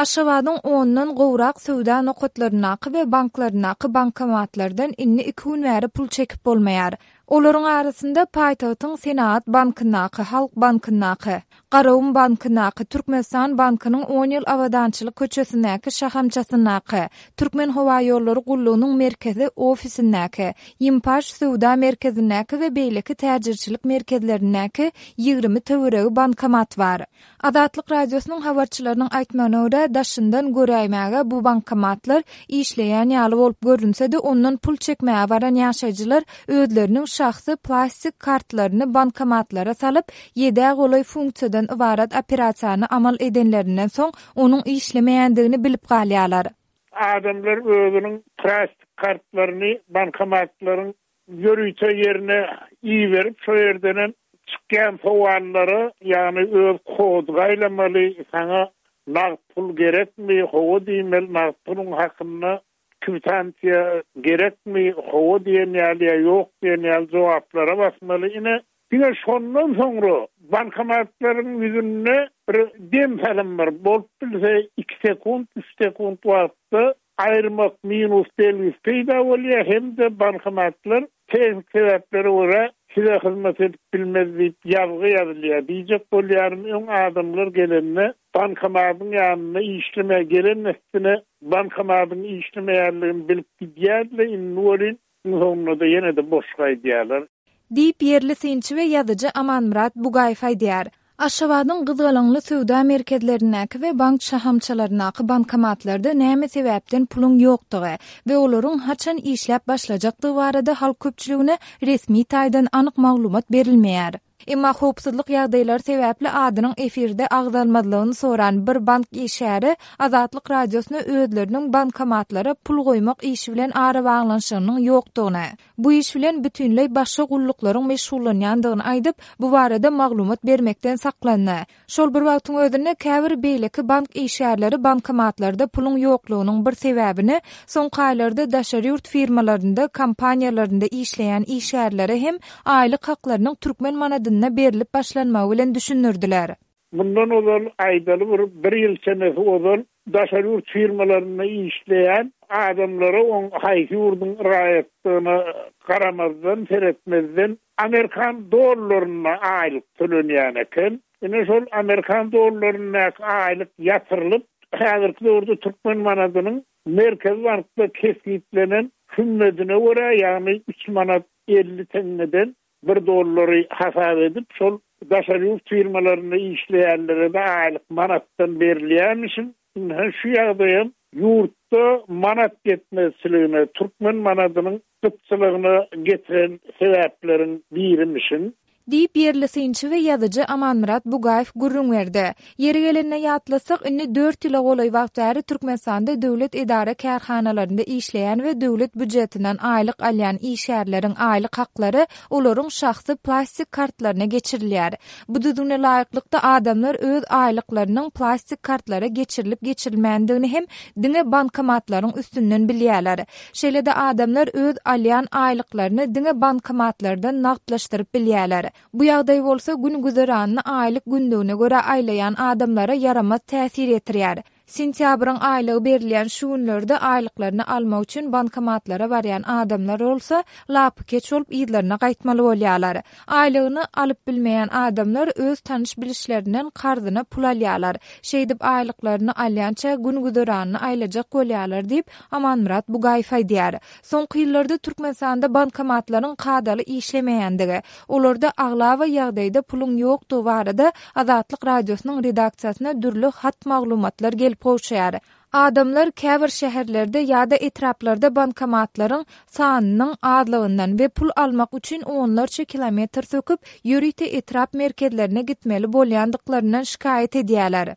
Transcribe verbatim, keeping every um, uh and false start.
Aşgabadyň ondan gowrak söwda nokatlaryndaky we banklaryndaky bankomatlardan indi iki gün bäri pul çekip bolmaýar. Olaryň arasynda paýtagtyň Senagat bankyndaky, Halk bankyndaky, Garagum bankyndaky, Türkmenistan bankynyň on ýyl Abadançylyk köçesindäki şahamçasyndaky, Türkmenhowaýollary gullugynyň merkezi ofisindäki, Ýimpaş söwda merkezindäki we beýleki täjirçilik merkezlerindäki ýigrimi töweregi bankomat bar. Azatlyk Radiosynyň habarçylarynyň aýtmagyna görä, daşyndan göräýmäge bu bankomatlar işleýän ýaly bolup görünse-de, ondan pul çekmäge baran ýaşaýjylar özleriniň şahsy plastik kartlaryny bankomatlara salyp, ýedä golaý funksiýadan ybarat operasiýany amal edenlerinden soň, onuň işlemeýändigini bilip galýarlar. Adamlar özüniň plastik kartlaryny bankomatlaryň ýörite ýerine iberip, şo ýerdenem çykýan sowallara, ýagny öz kody gaýlamaly, saňa nagt pul gerekmi, hawa diýmeli, nagt puluň hakynda kwitansiýa gerekmi, hawa diýen ýaly ýa ýok diýen ýaly jogaplara basmaly. Ine, diňe şondan soňra bankomatlaryň ýüzünde bir dem salym bir bolup bilse iki sekunt, üç sekunt wagtda aýyrmak minus belgisi peýda bolýar, hem-de bankomatlar tehnik sebäplere görä size hyzmat edip bilmez diýip ýazgy ýazylýar. Diýjek bolýarym, öň adamlar gelende bankomatyň ýanynda işlemä gelen üstüne bankomatyň işlemeýänligini bilip gidýärler, indi welin soňunda-da ýene-de boş gaýdýarlar. Diýip ýerli synçy we ýazyjy Amanmyrat Bugaýew aýdýar. Aşgabadyň gyzgalaňly söwda merkezlerindäki we bank şahamçalaryndaky bankomatlarda näme sebäpden puluň ýokdugy we olaryň haçan işläp başlajakdygy barada halk köpçüligine resmi taýdan anyk maglumat berilmeýär. Emma howpsuzlyk ýagdaýlary sebäpli adynyň efirde agzalmazlygyny soran bir bank işgäri Azatlyk Radiosyna özleriniň bankomatlara pul goýmak işi bilen arabaglanyşygynyň ýokdugyny, bu iş bilen bütinleý başga gulluklaryň meşgullanýandygyny aýdyp, bu barada maglumat bermekden saklandy. Şol bir wagtyň özünde käbir beýleki bank işgärleri bankomatlarda puluň ýoklugynyň bir sebäbini soňky aýlarda daşary ýurt firmalarynda, kompaniýalarynda işleýän işgärlere hem aýlyk haklarynyň türkmen manadynda berilip başlanmagy bilen düşündirdiler. Mundan ozal aýdaly bir, bir ýyl çemesi ozal daşary ýurt firmalarynda işleýän adamlara oň haýsy ýurduň raýatlygyna garamazdan, seretmezden Amerikan dollarynda aýlyk tölenýän eken. Ine şol Amerikan dollaryndaky aýlyk ýatyrylyp, häzirki döwürde türkmen manadynyň Merkezi bankda kesgitlenen hümmedine görä, ýagny üç manat elli teňňeden bir dollary hasap edip, şol daşary ýurt firmalarynda işleýänlere de aýlyk manatdan berilýärmişin. Ine şu ýagdaýam ýurtda manat ýetmezçiligine, türkmen manadynyň gytçylygyna getiren sebäpleriň birimişin. Diýip ýerli synçy we ýazyjy Amanmyrat Bugaýew gürrüň berdi. Ýeri gelende ýatlasak, indi dört ýyla golaý wagt bäri Türkmenistanda döwlet edara kärhanalarynda işleýän we döwlet býujetinden aýlyk alýan işgärleriň aýlyk haklary olaryň şahsy plastik kartlaryna geçirilýär. Bu düzgüne laýyklykda adamlar öz aýlyklarynyň plastik kartlara geçirilip geçirilmändigini hem diňe bankomatlaryň üstünden bilýärler. Şeýle-de adamlar öz alýan aýlyklaryny diňe bankomatlardan nagtlaşdyryp bilýärler. Bu ýagdaý bolsa gün güzeranyny aýlyk günlügine görä aýlaýan adamlara ýaramaz täsir ýetirýär. Sentýabryň aýlygy berilýän şu günlerde aýlyklaryny almak üçin bankomatlara barýan adamlar bolsa lapykeç bolup yzlaryna gaýtmaly bolýarlar. Aýlygyny alyp bilmeýän adamlar öz tanyş bilişlerinden karzyna pul alýarlar. Şeýdip aýlyklaryny alýança gün güzeranyny aýlajak bolýarlar diýip Amanmyrat Bugaýew aýdýar. Soňky ýyllarda Türkmenistanda bankomatlaryň kadaly işlemeýändigi, olarda aglaba ýagdaýda puluň ýokdugy barada Azatlyk Radiosynyň redaksiýasyna dürli hat maglumatlar gelip gowşaýar. Adamlar käbir şäherlerde ýa-da etraplarda bankomatlaryň sanynyň azlygyndan we pul almak üçin onlarça kilometr söküp, ýörite etrap merkezlerine gitmeli bolýandyklaryndan şikaýat edýärler.